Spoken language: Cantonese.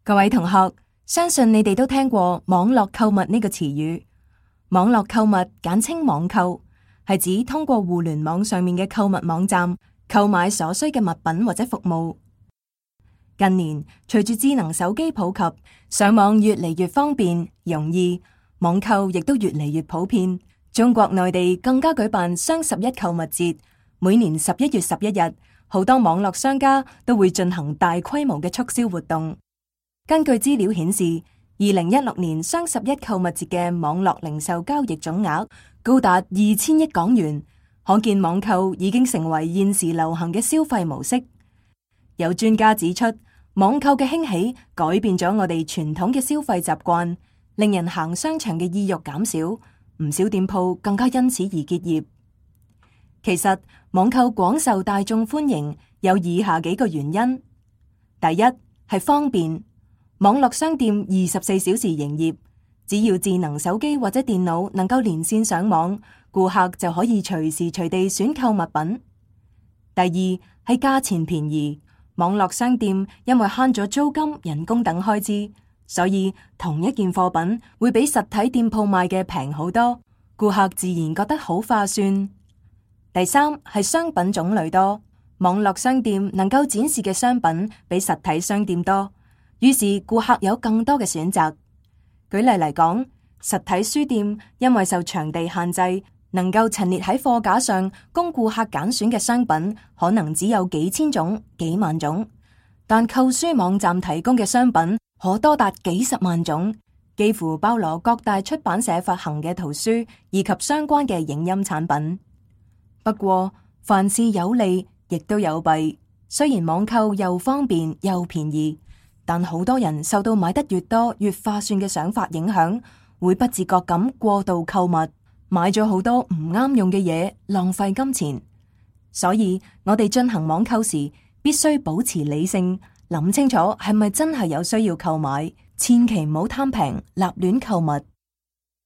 各位同學，相信你哋都聽過網絡購物呢個詞語。網絡購物簡稱網購，係指通過互聯網上面嘅購物網站購買所需嘅物品或者服務。近年，隨住智能手機普及，上網越嚟越方便容易，網購亦都越嚟越普遍。中國內地更加舉辦雙11購物節，每年11月11日，好多網絡商家都會進行大規模嘅促銷活動。根據資料顯示，2016年雙11購物節嘅網絡零售交易總額高達2000億港元，可見網購已經成為現時流行嘅消費模式。有專家指出，網購嘅興起改變咗我哋傳統嘅消費習慣，令人行商場嘅意欲減少，唔少店鋪更加因此而結業。其實，網購廣受大眾歡迎有以下幾個原因：第一係方便。網絡商店24小時營業，只要智能手機或者電腦能夠連線上網，顧客就可以隨時隨地選購物品。第二係價錢便宜，網絡商店因為慳咗租金、人工等開支，所以同一件貨品會比實體店鋪賣嘅平好多，顧客自然覺得好划算。第三係商品種類多，網絡商店能夠展示嘅商品比實體商店多。於是顧客有更多嘅選擇。舉例嚟講，實體書店因為受場地限制，能夠陳列喺貨架上供顧客揀選嘅商品可能只有幾千種、幾萬種，但購書網站提供嘅商品可多達幾十萬種，幾乎包羅各大出版社發行嘅圖書以及相關嘅影音產品。不過，凡事有利亦都有弊，雖然網購又方便又便宜，但好多人受到買得越多越划算嘅想法影響，會不自覺咁過度購物，買咗好多唔啱用嘅嘢，浪費金錢。所以我哋進行網購時，必須保持理性，諗清楚係咪真係有需要購買，千祈唔好貪平立亂購物。